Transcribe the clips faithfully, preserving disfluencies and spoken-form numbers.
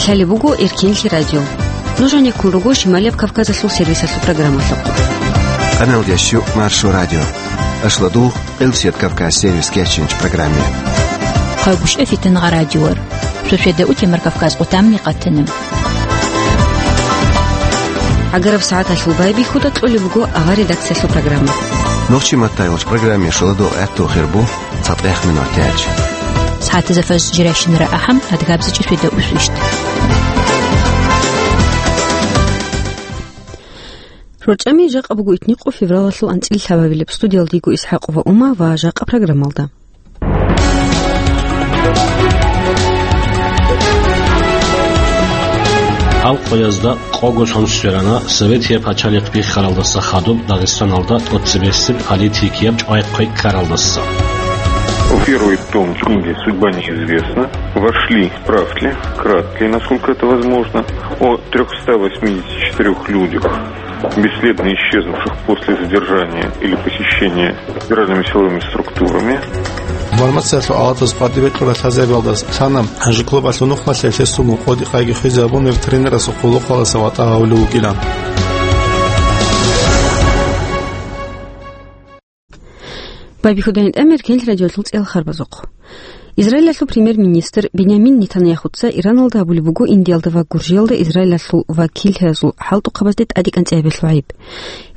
Лъалеб буго Эркенлъи радио. Нуж гьанеккун руго Шималияб Кавказалъул сервисалъул программалъухъ. Къаналдящу Маршо радио. Ашладугъ, Къилсият Кавказ сервис кечинч программе. Хъагушев Фитангъа радиор. Шошеда утемар Кавказ къутамни къатана. Агараб сагӀаталъул байбихьуда кьолеб буго авар редакциялъул программа. Нохчи маттайгъулч программе шоладугъ гӀатту хирбу. ЦатӀех минутач. СагӀатазда фажр жирайщинара ахӀам, адгабзичӀи светда усвищт. РорчӀами жакъа буго итникъо февралалъул анцӀил лъабабилеб. Студиялдиго ИсхӀакъова Ума ва жакъа программалда. Гьал къоязда къого сон сверана Советия пачалихъ биххаралдаса хадуб Дагъистаналда тӀоцебесеб политикияб чӀвай-хъвей ккаралдаса. В первый том книги «Судьба неизвестна» вошли справки, краткие, насколько это возможно, о трёхста восьмидесяти четырёх людях, бесследно исчезнувших после задержания или похищения федеральными силовыми структурами. Информациялъул алатаз къватӀибе кьурал лъазабиялдаса лъана, гьанже клубалъул нухмалъе лъесугун къодикъайги хвезабун, тренерасухъ гъулухъалдаса ватӀа гьавулев вугилан. Байбихьуда гьитӀамир Эркенлъи радиолъул цӀел харбазухъ. Израилалъул премьер-министр Бинямин Нетаньяхуца Ираналда гьабулеб буго Индиялда ва Гуржиялда Израилалъул вакиллъиязул хӀалтӀухъабазде тӀадекӀанцӀи гьабиялъул гӀайиб.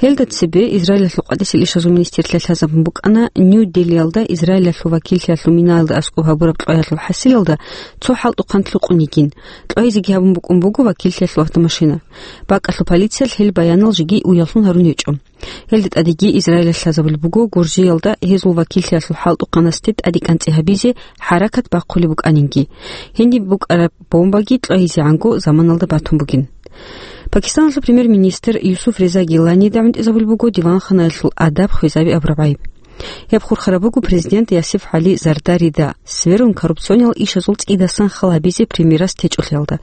Гьелда цебе Израилалъул къватӀисел ишазул министрлъиялъ лъазабун букӀана Нью-Делиялда Израилалъул вакиллъиялъул минаялда аскӀоб гьабураб кьваялъул хӀасилалда цо хӀалтӀухъан лъукъун йигин. Кьвайзеги гьабун букӀун буго вакиллъиялъул автомашина. БакӀалъул полициялъ гьел баянал жеги уяллъун гьарун гьечӀо. Гьелда тӀадеги Израилалъ лъазабулеб буго Гуржиялда гьезул вакиллъиялъул хӀалтӀухъанасде тӀадекӀанцӀи гьабизе хӀаракат бахъулеб букӀанинги. Гьениб букӀараб бомбаги кьвайизегӀанго заманалда батун бугин. Пакистаналъул премьер-министр Юсуф Реза Гиланида гӀунтӀизабулеб буго диванханаялъул адаб хвезаби абураб гӀайиб. Гьеб хурхараб буго президент Ясиф ГӀали Зардарида сверун коррупциониял ишазул цӀидасан хал гьабизе премьерас течӀолъиялда.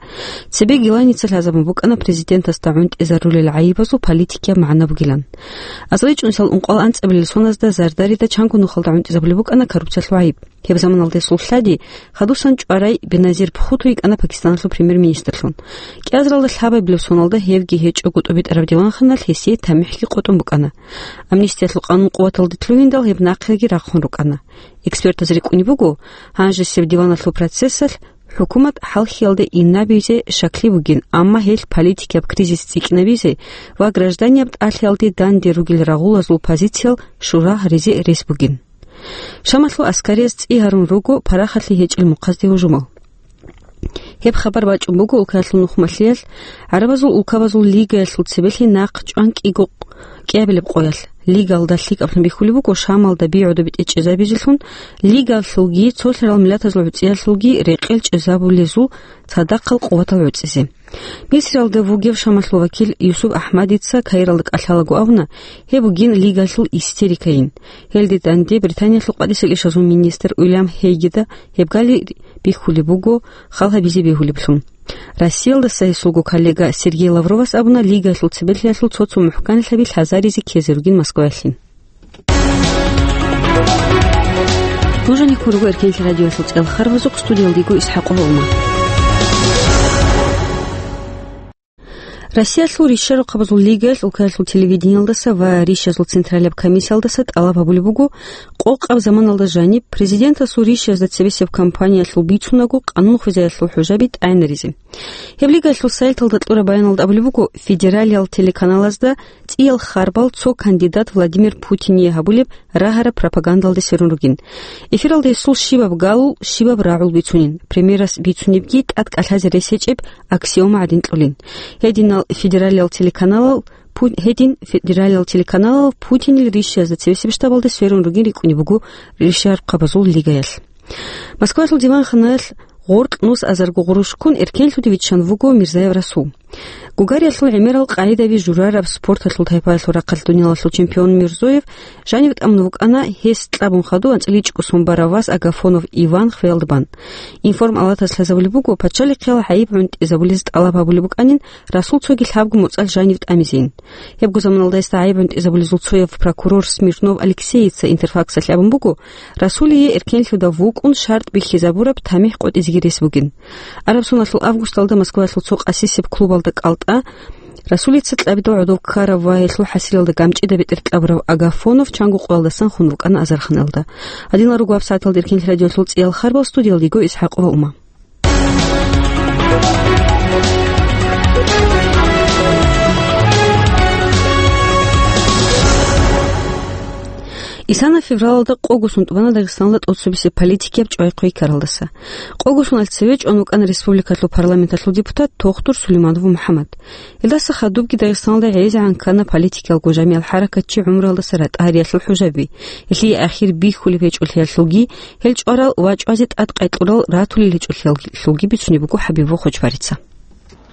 Цебе Гиланица лъазабун букӀана президентасда гӀунтӀизарулел гӀайибазул политикияб магӀна бугилан. АзарилчӀунсал ункъоялда анцӀабилел соназда Зардарида чанго нухалда гӀунтӀизабулеб букӀана коррупциялъул гӀайиб. Гьеб заманалда гьесул лъади хадусан чӀварай Беназир Бхутто йикӀана Пакистаналъул премьер-министрлъун. КӀиазаралда лъабабилеб соналда гьевги гьечӀого тӀубитӀараб диванханалъ гьесие тамихӀги къотӀун букӀана. Амнистиялъул къанун къуваталде лъугьиндал гьеб нахъеги рахъун рукӀана. Экспертаз рикӀкӀунеб буго, гьанжесеб диваналъул процессалъ хӀукумат хӀалхьиялде инабизе шакли бугин, амма гьелъ политикияб кризис цӀикӀкӀинабизе ва гражданияб тӀалъиялде данде ругел рагъулазул позициял шура гьаризе рес бугин. Шамалъул аскарияз цӀи гьарун руго парахалъе гьечӀел мухъазде гьужумал. Гьеб хабар бачӀун буго улкаялъул нухмалъиялъ, гӀарабазул улкабазул лигаялъул цебелъи нахъ чӀван кӀиго кӀиабилеб къоялъ. Лигаялда лъикӀаблъун бихьулеб буго Шамалда би гӀодобе тӀечӀезабизелъун, лигаялъулги цолъарал миллатазул гӀуцӀиялъулги рекъел чӀезабулезул цадахъал къуватал гӀуцӀизе. Мисриялда вугев Шамалъул вакил Юсуп АхӀмадица Каиралда кӀалъалаго абуна, гьеб бугин лигаялъул истерикайин. Гьелде данде Британиялъул къватӀисел ишазул министр Уильям Хейгида гьеб гали бихьулеб буго, хал гьабизе бегьулеблъун. Россиялдаса гьесулго коллега Сергей Лавровас абуна, лигаялъул цебелъиялъул цо-цо мухӀканлъаби лъазаризе ккезе ругин Москваялъе. Нуж гьанеккун руго Эркенлъи радиоялъул цӀел харбазухъ, студиялдиго ИсхӀакъова Ума. Россиялъул ришарухъабазул лигаялъ улкаялъул телевидениялдаса ва ришазул централияб комиссиялдаса тӀалаб гьабулеб буго, къокъаб заманалда жаниб президентасул ришазда цебесеб кампаниялъул бицунаго къанун хвезаялъул хӀужаби тӀагӀинаризе. Гьеб лигаялъул сайталда кьураб баяналда абулеб буго, федералиял телеканалазда цӀиял харбал цо кандидат Владимир Путине гьабулеб рагьараб пропагандалде сверун ругин. Эфиралда гьесул щибаб галул, щибаб рагӀул бицунин, премьерас бицунебги тӀад кӀалъазе рес гьечӀеб аксиома гӀадин кьолин. Гьединал федералиял телеканалал Пу-, гьедин федералиял телеканалал Путинил ришазда цебесеб штабалде сверун ругин рикӀкӀунеб буго ришарухъабазул лигаялъ. Москвалъул диванханалъ гъоркь нус азарго гъурущ ккун эркенлъуде виччан вуго Мирзаев Расул. Гугариялъул гӀемерал къагӀидаби журараб спорталъул тайпаялъул рахъалъ дуниялалъул чемпион Мирзоев жанив тӀамун вукӀана, гьес кьабун хадув анцӀила ичӀго сон барав вас Агафонов Иван хвеялда бан. Информ-алатас лъазабулеб буго, пачалихъиял гӀайиб гӀунтӀизабулез тӀалаб гьабулеб букӀанин, Расул цоги лъабго моцӀалъ жанив тӀамизейин. Гьебго заманалда гьесда гӀайиб гӀунтӀизабулезул цояв прокурор Смирнов Алексеица Интерфаксалъе абун буго, Расулие эркенлъуда вукӀун шартӀ бихьизабураб тамихӀ къотӀизеги рес бугин. Араб соналъул августалда Москваялъул цо къасисеб клубалда кӀалтӀа Расулица кьабидал гӀодов ккарав ва гьелъул хӀасилалда ГӀамчӀида бетӀер кьабурав Агафонов чанго къоялдасан хун вукӀана азарханалда. Гьадинал руго гьабсагӀаталда эркенлъи радиолъул цӀиял харбал, студиялда йиго ИсхӀакъова Ума. Исана февралалда къого сон тӀубана Дагъистаналда тӀоцебесеб политикияб чӀвай-хъвей ккаралдаса. Къого соналъ цеве чӀван вукӀана республикалъул парламенталъул депутат Тохтур Сулейманов МухӀаммад. Гьелдаса хадубги Дагъистаналда гӀезегӀан ккана политикиялго жамигӀал хӀаракатчи гӀумруялдаса ратӀа гьариялъул хӀужаби, гьелъие ахир бихьулеб гьечӀолъиялъулги, гьел чӀварал ва чӀвазе тӀад къайкьурал ратулел гьечӀолъиялъулги бицунеб буго ХӀабибов Хочбарица.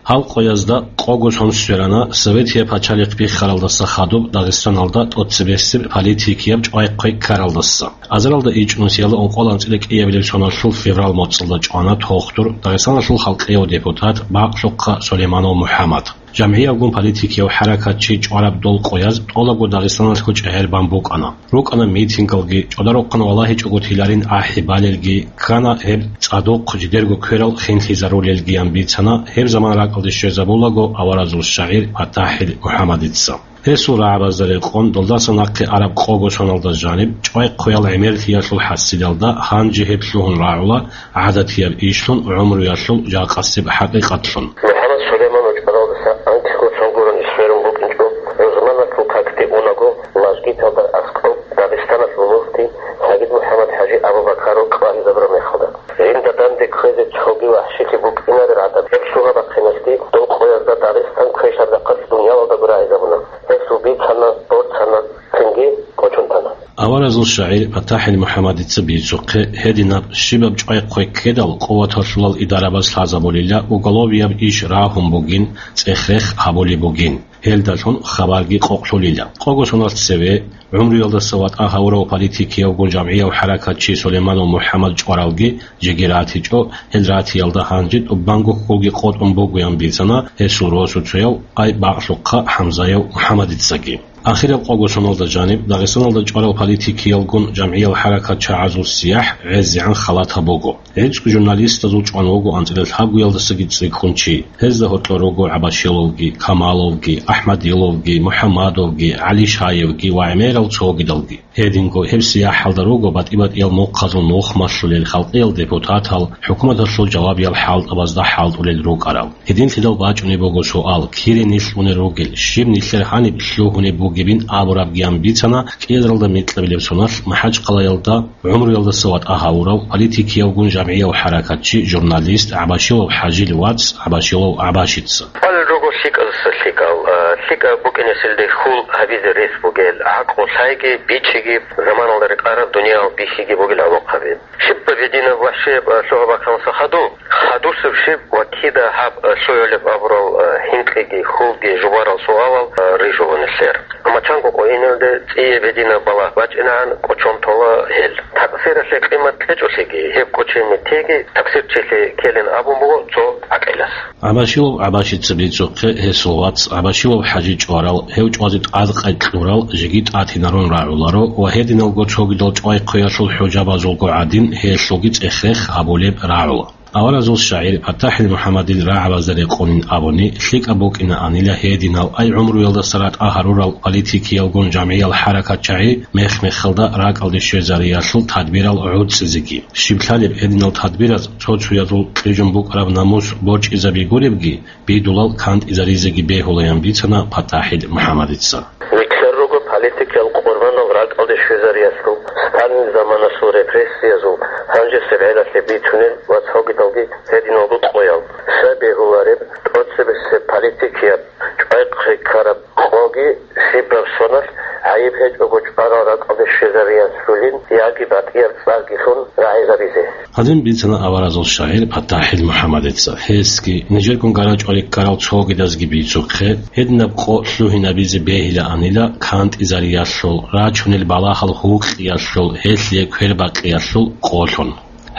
Гьал къоязда къого сон сверана Советияб пачалихъ биххаралдаса хадуб Дагъистаналда тӀоцебесеб политикияб чӀвай-хъвей ккаралдаса. Азаралда ичӀнусиялда ункъоялда анцӀила кӀиабилеб соналъул феврал моцӀалда чӀвана Тохтур, Дагъистаналъул халкъияв депутат, бакълъухъа Сулейманов МухӀаммад. ЖамгӀиябгун политикияв хӀаракатчи чӀвараб дол къояз тӀолабго Дагъистаналъго чӀегӀер бан букӀана. РукӀана митингалги, чӀвадарухъан валагьичӀого тиларин ахӀи балелги, ккана гьеб цӀадухъ жидерго кверал хинлъизарулелгиян бицана гьеб заман ракӀалде щвезабулаго аваразул шагӀир ПатахӀил МухӀаммадица. Гьесул рагӀабазда рекъон, долдаса нахъе араб къого соналда жаниб, чӀвай-хъвеял гӀемерлъиялъул хӀасилалда гьанже гьеб лъугьун рагӀула гӀадатияб ишлъун, гӀумруялъул жакъасеб хӀакъикъатлъун. МухӀаммад Сулейманов чӀваралдаса анкьго сон гурони сверун букӀинчӀо, рузманалъул какде унаго, мажгиталда аскӀоб Дагъистаналъул муфти СагӀид МухӀаммад ХӀажи Абу-Бакаров къваризабураб мехалда. Жинда данде кквезе цоги вахӀшилъи букӀинаре гӀадаб гьеб лъугьа-бахъиналъги дол къоязда Дагъистан квешаб рахъалъ дуниялалдаго рагӀизабуна. Гьесул бицана, борцана, цинги кӀочон тана. Аваразул шагӀир ПатахӀил МухӀаммадица бицухъе, гьединаб щибаб чӀвай-хъвей ккедал къуваталъулал идарабаз лъазабулила, уголовияб иш рагьун бугин, цӀех-рех гьабулеб бугин. Гьелдалъун хабарги къокълъулила. Къого соналъ цеве, гӀумруялдаса ватӀа гьавурав политикиявгун жамгӀияв хӀаракатчи Сулейманов МухӀаммад чӀваралги жеги ратичӀо, гьел ратиялда гьанже тӀубанго хьулги къотӀун бугоян бицана гьесул росуцояв, ай бакълъухъа ХӀамзаяв МухӀаммадицаги. Ахираб къого соналда жаниб Дагъистаналда чӀварал политикиялгун жамгӀиял хӀаракатчагӀазул сияхӀ гӀезегӀан халатаб буго. ГӀицӀго журналистазул чӀван вуго анцӀила лъабгоялдасаги цӀикӀкӀун чи. Гьезда гьоркьор руго ГӀабашиловги, Камаловги, АхӀмадиловги, МухӀаммадовги, ГӀалишаевги ва гӀемерал цогидалги. Гьединго гьеб сияхӀалда руго батӀи-батӀиял мухъазул нух малъулел халкъиял депутатал, хӀукуматалъул жавабиял хӀалтӀабазда хӀалтӀулел рукӀарал. Гьединлъидал бачӀунеб буго суал: кире нилъ унел ругел, щиб нилъер гьаниб лъугьунеб бугебин абурабгиян бицана кӀиазаралда микьабилеб соналъ МахӀачхъалаялда гӀумруялдаса ватӀа гьавурав, политикиявгун жамгӀияв хӀаракатчи, журналист ГӀабашилов ХӀажил вац ГӀабашилов ГӀабашица. Гьал руго лъикӀаздаса лъикӀал, а, лъикӀаб букӀинесилде хьул гьабизе рес бугел, гӀакълу лъайги, бичӀчӀиги, заманалда рекъараб дуниял бихьиги бугел гӀолохъаби. Щибаб гьединаб вахӀшияб, а, лъугьа-бахъиналдаса хадуб, хадусеб щиб ва кида гьаб, а, лъугӀулеб абурал, а, гьинкъиги, хьулги, жубарал суалал, а, рижула нилъер. Амма чанго къо инелде цӀияб гьединаб балагь бачӀинегӀан кӀочон тола гьел. Такъсиралъе къимат кьечӀолъиги, гьеб кӀочене теги такъсирчилъи ккелин абун буго цо гӀакъилас. ГӀабашилов ГӀабашица бицухъе, гьесул вац ГӀабашилов ХӀажи чӀварал, гьев чӀвазе тӀад къайкьурал жеги тӀатинарун рагӀуларо ва гьединалго цогидал чӀвай-хъвеялъул хӀужабазулго гӀадин, гьелъулги цӀех-рех гьабулеб рагӀула. Аваразул шагӀир ПатахӀил МухӀаммадил рагӀабазда рекъонин абуни, лъикӀаб букӀинаанила гьединал ай гӀумруялдаса ратӀа гьарурал политикиялгун жамгӀиял хӀаракатчагӀи мех-мехалда ракӀалде щвезариялъул тадбирал гӀуцӀизеги. Щиб лъалеб гьединал тадбираз цо-цоязул кьижун букӀараб намус борчӀизаби гуребги, бидулал кантӀизаризеги бегьулаян бицана ПатахӀил МухӀаммадица. Нилъер руго политикиял къурбанал ракӀалде щвезариялъул, Сталин заманалъул репрессиязул, гьанжесеб гӀелалъе бицунел ва цогидалги гьединал къоял. Щай бегьулареб, тӀоцебесеб политикияб чӀвай-хъвей ккараб къоги щибаб соналъ гӀайиб гьечӀого чӀварал ракӀалде щвезариялъулин яги батӀияб цӀарги лъун рагӀизабизе. Гьадин бицана аваразул шагӀир ПатахӀил МухӀаммадица. Гьесги, нижергун гарачӀвали ккарал цогидазги бицухъе, гьединаб къо лъугьинабизе бегьилаанила кантӀизариялъул, рачунел балагьал гьукъиялъул, гьелъие квербакъиялъул къолъун.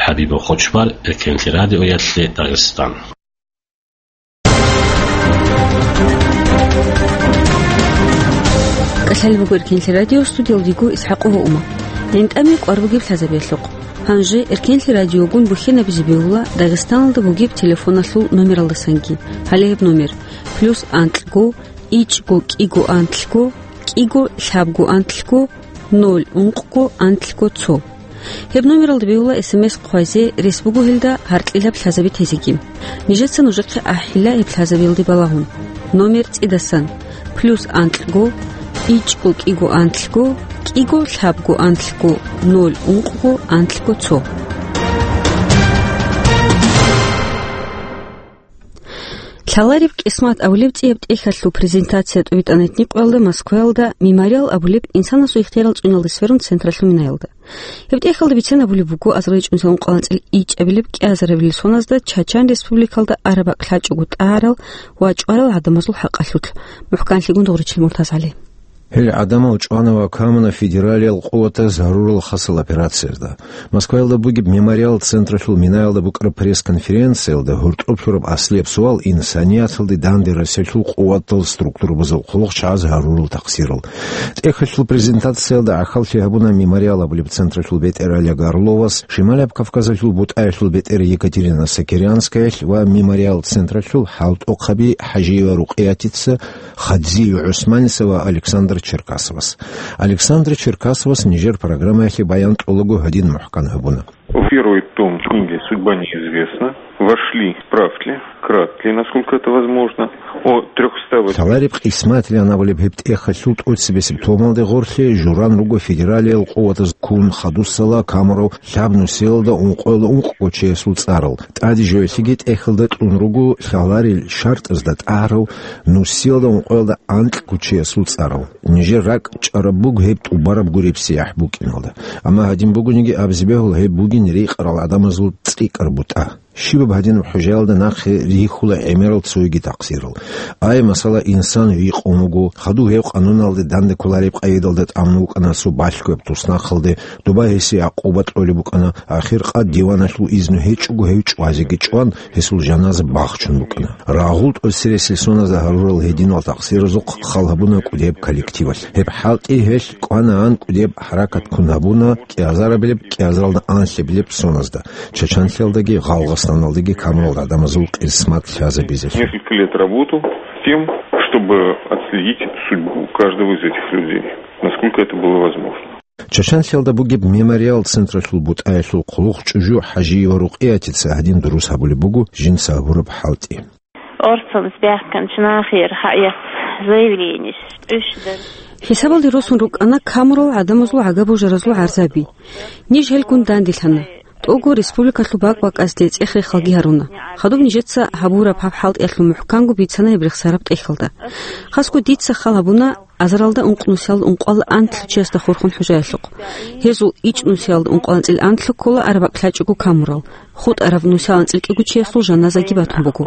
ХӀабибов Хочбар, Эркенлъи радиоялъе, Дагъистан. КӀалъалеб буго Эркенлъи радио, студиялда йиго ИсхӀакъова Ума. ГӀинтӀаме кӀвар бугеб лъазабиялъухъ. Гьанже Эркенлъи радиогун бухьинабизе бегьула Дагъистаналда бугеб телефоналъул номералдасанги. Гьале гьеб номер: плюс анкьго, ичӀго кӀиго анлъго, кӀиго лъабго анлъго, ноль ункъго анлъго цо. Гьеб номералда бегьула СМС хъвазе, рес буго гьелда гьаркьилаб лъазаби тезеги. Нижеца нужехъе ахӀила гьеб лъазабиялде балагьун. Номер цӀидасан: плюс анкьго, ичӀго кӀиго анлъго, кӀиго лъабго анлъго, ноль ункъго анлъго цо. «Лъалареб кьисмат» абулеб цӀияб тӀехьалъул презентация тӀубитӀана гьитӀинаб къоялда Москваялда «Мемориал» абулеб инсанасул ихтиярал цӀуналде сверун централъул минаялда. Гьеб тӀехьалда бицен абулеб буго, азарилчӀунсал ункъаланцӀил ичӀабилеб кӀиазарабилеб соназдаса Чачан Республикалда араб бакӀ лъачӀого тӀагӀарал ва чӀварал гӀадамазул хӀакъалъулъ. МухӀканлъигун Дугъричил МуртазгӀали. Гьел гӀадамал чӀвана ва камуна федералиял къуватаз гьарурал хасал операциязда. Москваялда бугеб «Мемориал» централъул минаялда букӀараб пресс-конференциялда гьоркьоб лъураб аслияб суал инсанияталде данде расиялъул къуватал структурабазул хъулухъчагӀаз гьарурал тахсирал. ТӀехьалъул презентациялда гӀахьаллъи гьабуна «Мемориал» абулеб централъул бетӀер Олег Орловас, Шималаб Кавказалъул бутӀаялъул бетӀер Екатерина Сокирянскаялъ ва «Мемориал» централъул хӀалтӀухъаби ХӀажиева Рукъиятица, Хадзиев ГӀусманица ва Александр Черкасовас. Александр Черкасовас нижер программаялъе баян кьолаго гьадин мухӀкан гьабуна. В первый том книги «Судьба неизвестна» вошли справки, краткие, насколько это возможно, о трёхстах восьмидесяти. «Лъалареб кьисмат» абулеб гьеб тӀехьалъул тӀоцебесеб томалде гъорлъе журан руго федералиял къуватаз ккун хадусала камурал лъаб нусиялда ункъоялда ункъго чиясул цӀарал. ТӀаде жоялъеги тӀехьалда кьун руго лъаларел шартӀазда тӀагӀарав нусиялда ункъоялда анкьго чиясул цӀарал. Нижер ракӀ чӀараб буго гьеб тӀубараб гуреб сияхӀ букӀиналда. Амма гьадин бугониги абизе бегьула, гьеб бугин рекъарал гӀадамазул цӀикӀкӀар бутӀа. Щибаб гьадинаб хӀужаялда нахъе рихьула гӀемерал цоги такъсирал. Ай, масала, инсан рикъун вуго, хадуб гьев къануналде данде кколареб къайдалда тӀамун вукӀана цо балъгояб туснахъалде, доба гьесие гӀакъуба кьолеб букӀана, ахир къад диваналъул изну гьечӀого гьев чӀвазеги чӀван, гьесул жаназа бахчун букӀана. Рагъул тӀоцересел соназда гьарурал гьединал такъсиразухъ хал гьабуна кӀудияб коллективалъ. Гьеб хӀалтӀи гьелъ кӀванаан кӀудияб хӀаракат ккун гьабуна, кӀиазарабилеб, кӀиазаралда анлъабилеб соназда, Чачанлъиялдаги Гъалгъастаналдаги камурал гӀадамазул кьисмат лъазабизелъул. Несколько лет работал с тем, чтобы отследить судьбу каждого из этих людей, насколько это было возможно. Чачанлъиялда бугеб «Мемориал» централъул бутӀаялъул хъулухъчӀужу ХӀажиева Рукъиятица гьадин дурус гьабулеб буго жинца гьабураб хӀалтӀи. Орцанас бяхканчи нахир гьаят заявление тӀущдал. ХӀисабалде росун рукӀана камурал гӀадамазул гӀага-божаразул гӀарзаби. Ниж гьелгун данделъана. ТӀого республикалъул бакӀ-бакӀазде цӀех-рехалги гьаруна. Хадуб нижеца гьабураб гьаб хӀалтӀиялъул мухӀканго бицана гьеб рехсараб тӀехьалда. Хасго дица хал гьабуна азаралда ункъ нусиялда ункъоялда анлъго чиясда хурхун хӀужаялъухъ. Гьезул ичӀ нусиялда ункъоялда анцӀил анлъго ккола араб бакӀ лъачӀого камурал. ХутӀараб нусиялда анцӀил кӀиго чиясул жаназаги батун буго.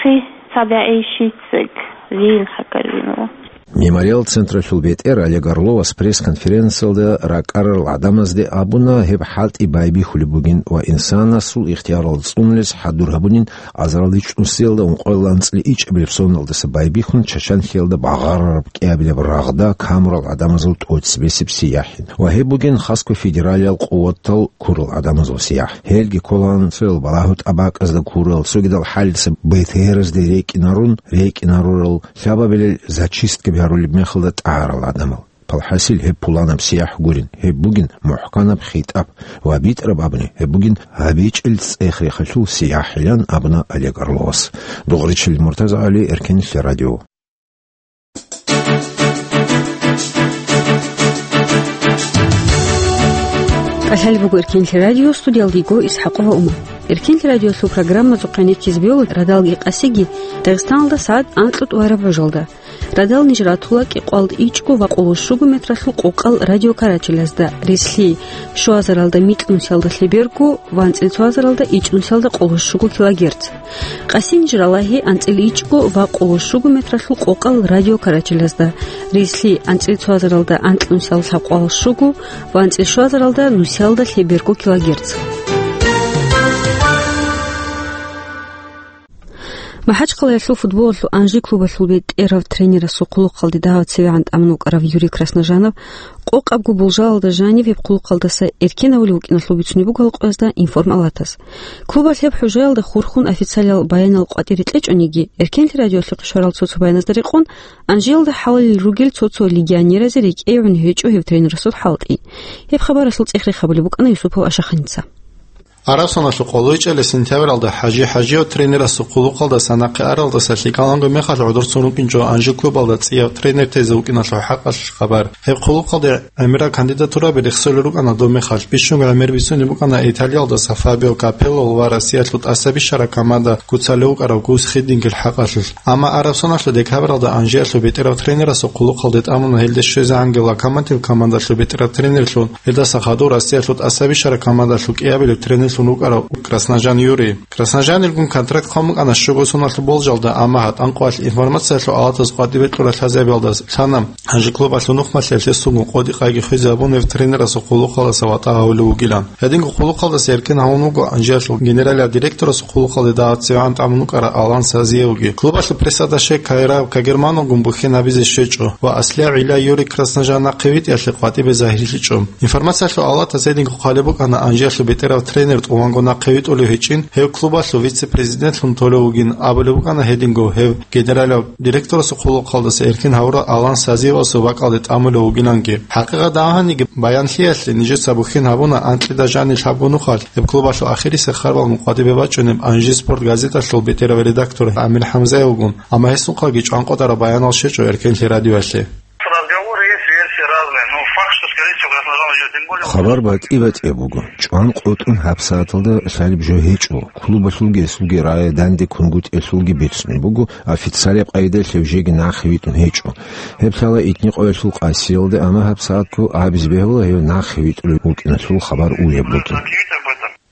Хъи цадагӀи щицаг вин хӀакарвинава. «Мемориал» централъул бетӀер Олег Орловас пресс-конференциялда ракӀарал гӀадамазде абуна, гьеб хӀалтӀи байбихьулеб бугин ва инсанасул ихтиярал цӀунулес хӀадур гьабунин азарал ичӀ нусиялда ункъоялда анцӀил ичӀабилеб соналдаса байбихьун Чачанлъиялда багъарараб кӀиабилеб рагъда камурал гӀадамазул тӀоцебесеб сияхӀин. Ва гьеб бугин хасго федералиял къуватал ккурал гӀадамазул сияхӀ. Гьелги кколаан цоял балагьу тӀабакӀазда ккурал, цогидал хӀалица БТР-азде рекӀинарун, рекӀинарурал, лъабабилел зачисткаби гьарулеб мехалда тӀагӀарал гӀадамал. Палхасил гьеб пуланаб сияхӀ гурин, гьеб бугин мухӀканаб хитӀаб ва битӀараб абуни, гьеб бугин гьабичӀел цӀех-рехалъул сияхӀилан абуна Олег Орловас. Дугъричил Муртаза Гьали, Эркенлъи радио. КӀалъалеб буго Эркенлъи радио, студиялдего ИсхӀакъова Умар. Эркенлъи радиолъул программазухъе нечиз бегьула радалги къасиги Дагъистаналда сагӀат анкьго тӀубараб гӀужалда. Радал ниж ратула кӀикъоялда ичӀго ва къоло щуго метралъул къокъал радиокарачелазда, рислъи щуазаралда микьнусиялда лъеберго ва анцӀил цоазаралда ичӀнусиялда къоло щуго килогерц. Къаси ниж ралагьи анцӀил ичӀго ва къоло щуго метралъул къокъал радиокарачелазда, рислъи анцӀил цоазаралда анкьнусиялда лъабкъоялда щуго ва анцӀил щуазаралда нусиялда лъеберго килогерц. МахӀачхъалаялъул футболалъул «Анжи» клубалъул бетӀерав тренерасул хъулухъалде дагьав цевегӀан тӀамун вукӀарав Юрий Красножанов къокъабго болжалалда жанив гьеб хъулухъалдаса эркен гьавулев вукӀиналъул бицунеб буго Алкъоязда «Информ Алатас». Клубалъ гьеб хӀужаялда хурхун официалиял баянал къватӀире кьечӀониги, Эркенлъи радиоялъухъе щварал цо-цо баяназда рекъон, Анжиялда хӀалалел ругел цо-цо легионеразе рекӀее гӀун гьечӀо гьев тренерасул хӀалтӀи. Гьеб хабаралъул цӀех-рех гьабулеб букӀана Юсупов Ашаханица. Араб соналъул къолойчӀеле сентябралда ХӀажи ХӀажиев тренерасул хъулухъалдаса нахъе аралдаса лъикӀаланго мехалъ гӀодорцун рукӀинчӀо Анжи клубалда цӀияв тренер тезе вукӀиналъул хӀакъалъулъ хабар. Гьеб хъулухъалде гӀемерал кандидатураб рехсолел рукӀана доб мехалъ, бищунго гӀемер бицунеб букӀана Италиялдаса Фабио Капелло ва Россиялъул тӀасабищараб команда куцалев вукӀарав Гус Хиддингил хӀакъалъулъ. Амма араб соналъул декабралда Анжиялъул бетӀерав тренерасул хъулухъалде тӀамуна гьелде щвезегӀанги Локомотив командалъул бетӀерав тренерлъун, гьелдаса хадув Россиялъул тӀасабищараб командалъул кӀиабилеб тренерлъун вукӀарав Красножан Юрий. Красножанилгун контракт хъван букӀана щуго соналъул болжалда, амма гьатӀан къоялъ «Информациялъул Алатас» къватӀибе кьурал лъазабиялда лъана, Анжи клубалъул нухмалъиялъ гьесулгун къодикъайги хвезе абун гьев тренерасул хъулухъалдаса ватӀа гьавулев вугилан. Гьединго хъулухъалдаса эркен гьавун вуго Анжиялъул генералияв директорасул хъулухъалде дагьав цевегӀан тӀамун вукӀарав Алан Сазиевги. Клубалъул пресс-атташе Кайра Кагермановгун бухьен гьабизе щвечӀо ва аслияб гӀилла Юрий Красножан нахъе витӀиялъе къватӀибе загьирлъичӀо. «Информациялъул Алатас» гьединго хъвалеб букӀана Анжиялъул бетӀерав тренер тӀуванго нахъе витӀулев гьечӀин, гьев клубалъул вице-президентлъун толев вугин абулеб букӀана, гьединго гьев генералияв директорасул хъулухъалдаса эркен гьавурав Алан Сазиевасул бакӀалде тӀамулев вугиланги. ХӀакъикъат гьаниги баянлъиялъе нижеца бухьен гьабуна анкьида жаниб лъабго нухалъ гьеб клубалъул ахирисеб харбалгун къватӀибе бачӀунеб «Анжи Спорт» газеталъул бетӀерав редактор Амир ХӀамзаевгун, амма гьесухъаги чӀванкъотӀараб баянал щвечӀо Эркенлъи радиоялъе. Разговоры есть, версии разные, но факт, что, скорее всего, Красножан уйдёт, тем более... Хабар батӀи-батӀияб буго. ЧӀванкъотӀун гьабсагӀаталда лъалеб жо гьечӀо. Клубалъулги гьесулги рае данде кунгутӀиялъулги бицунеб буго, официалияб къайдаялъ гьев жеги нахъе витӀун гьечӀо. Гьеб лъала итни къоялъул къасиялда, амма гьабсагӀатго абизе бегьула гьев нахъе витӀулев вукӀиналъул хабар уяблъун.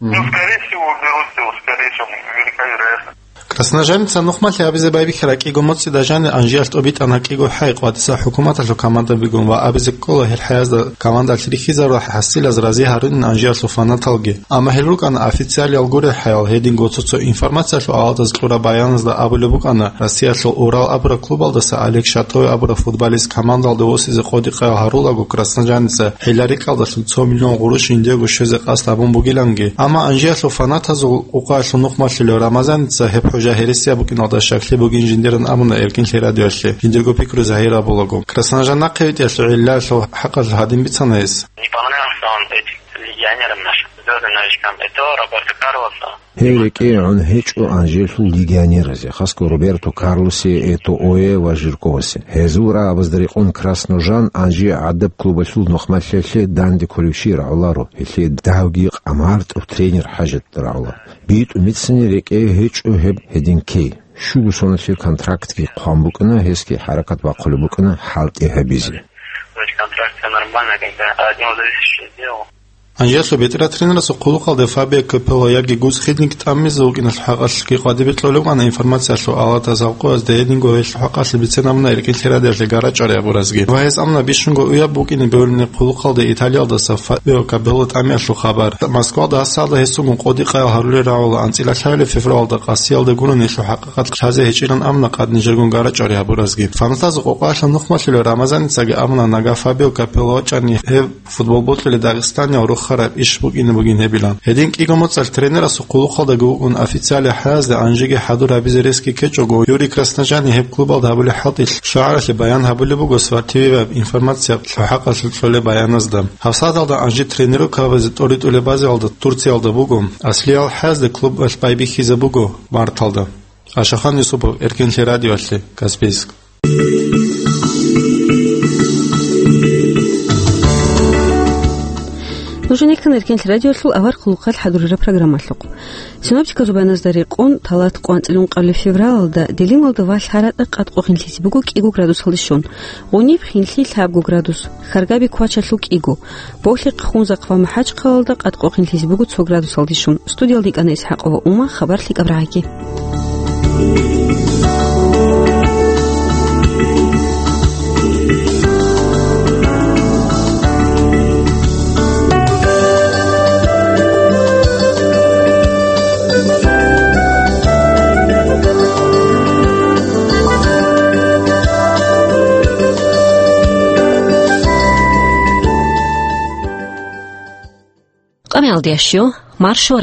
Мгм. Ну, скорее всего, уберут его, скорее всего, велика вероятность. Красножанца нухмалъи абизе байбихьараб кӀиго моцӀида жанир Анжиялъ тӀобитӀана кӀиго хӀай къватӀиса хӀукуматалъул командабигун ва абизе ккола гьел хӀаязда командалъ рихьизарурал хӀасилаз рази гьарунин Анжиялъул фанаталги. Амма гьел рукӀана официалиял гурел хӀаял, гьединго цо-цо «Информациялъул Алатас» кьураб баяназда абулеб букӀана, Россиялъул «Урал» абураб клубалдаса Олег Шатоев абураб футболист командалда восизе къодикъаял гьарулаго Красножанца гьеларикьалдалъун цо миллион гъурущ жиндиего щвезе къасд гьабун бугиланги. Амма Анжиялъул фанатазул къукъаялъул нухмалъулев Рамазаница гьеб хӀужа гьересияб букӀиналда щаклъи бугин жиндиран абуна Эркинлъи радиоялъе, жиндирго пикру загьир гьабулаго. Красножан нахъе витӀиялъул гӀиллаялъул хӀакъалъулъ гьадин бицана гьес. Не понравился он этим легионерам нашим, звёздным новичкам. Это Роберто Карлосу. Гьев рекӀее гӀун гьечӀо Анжелъул легионеразе, хасго Роберто Карлосе, Этоое ва Жирковасе. Гьезул рагӀабазда рекъон Красножан Анжи гӀадаб клубалъул нухмалъиялъе данде кколев чи рагӀуларо, гьелъие давги къамартӀав тренер хӀажат рагӀула. БитӀун бицани рекӀее гьечӀо гьеб гьедин ккей. Щуго соналъе контрактги хъван букӀана, гьесги хӀаракат бахъулеб букӀана хӀалтӀи гьабизе. То есть контракт всё нормально, когда один зависящий сделал. Анжелъул бетӀерав тренерасул хъулухъалде Фабио Капелло яги Гус Хиддинг тӀамизе вукӀиналъул хӀакъалъулъги къватӀибе кьолеб букӀана «Информациялъул Алатас» гьаб къоязда, гьединго гьелъул хӀакъалъулъ бицен абуна Эркинлъи радиоялъе гъарачӀари гьабуразги. Ва гьес абуна бищунго уяб букӀине бегьулеб хъулухъалде Италиялдаса Фабио Капелло тӀамиялъул хабар. Москвалда гьасалда гьесулгун къодикъаял гьарулел рагӀула анцӀила лъабилеб февралалда къасиялда гурони гьелъул хӀакъикъат лъазе гьечӀилан абуна къад нижергун гъарачӀари гьабуразги. Фанатазул къокъаялъул нухмалъулев Рамазаницаги абуна, нагагь Фабио Капелло вачӀани гьев футбол бокьулеб Дагъистаниял рохараб иш букӀине бугин гьебилан. Гьедин кӀиго моцӀалъ тренерасул хъулухъалдаги вукӀун официалиял хӀаязде Анжиги хӀадур гьабизе ресги ккечӀого, Юрий Красножани гьеб клубалда гьабулеб хӀалтӀи лъугӀаралъе баян гьабулеб буго Спорт ТВ-ва «Информациялъул Алатас» хӀакъалъулъ кьолеб баяназда. ГьабсагӀаталда Анжи тренировка гьабизе тӀоритӀулеб базаялда Турциялда буго. Аслиял хӀаязда клубалъ байбихьизе буго марталда. Ашахан Юсупов, Эркинлъи радиоялъе, Каспийск. Нуж нехъан Эркинлъи радиоялъул авар хъулухъалъ хӀадурараб программалъухъ. Синоптиказул баяназда рекъон, талат къванцӀилан къалле февралалда Делималда ва ЛъаратӀа къад къо хинлъизе буго кӀиго градусалде щун, гъуниб хинлъи лъабго градус, Харгаби квачалъул кӀиго, Бохьихъ, Хунзахъ ва МахӀачхъалалда къад къо хинлъизе буго цо градусалде щун. Студиялда йикӀана ИсхӀакъова Ума, хабар лъикӀаб рагӀаги. Дящо, маршо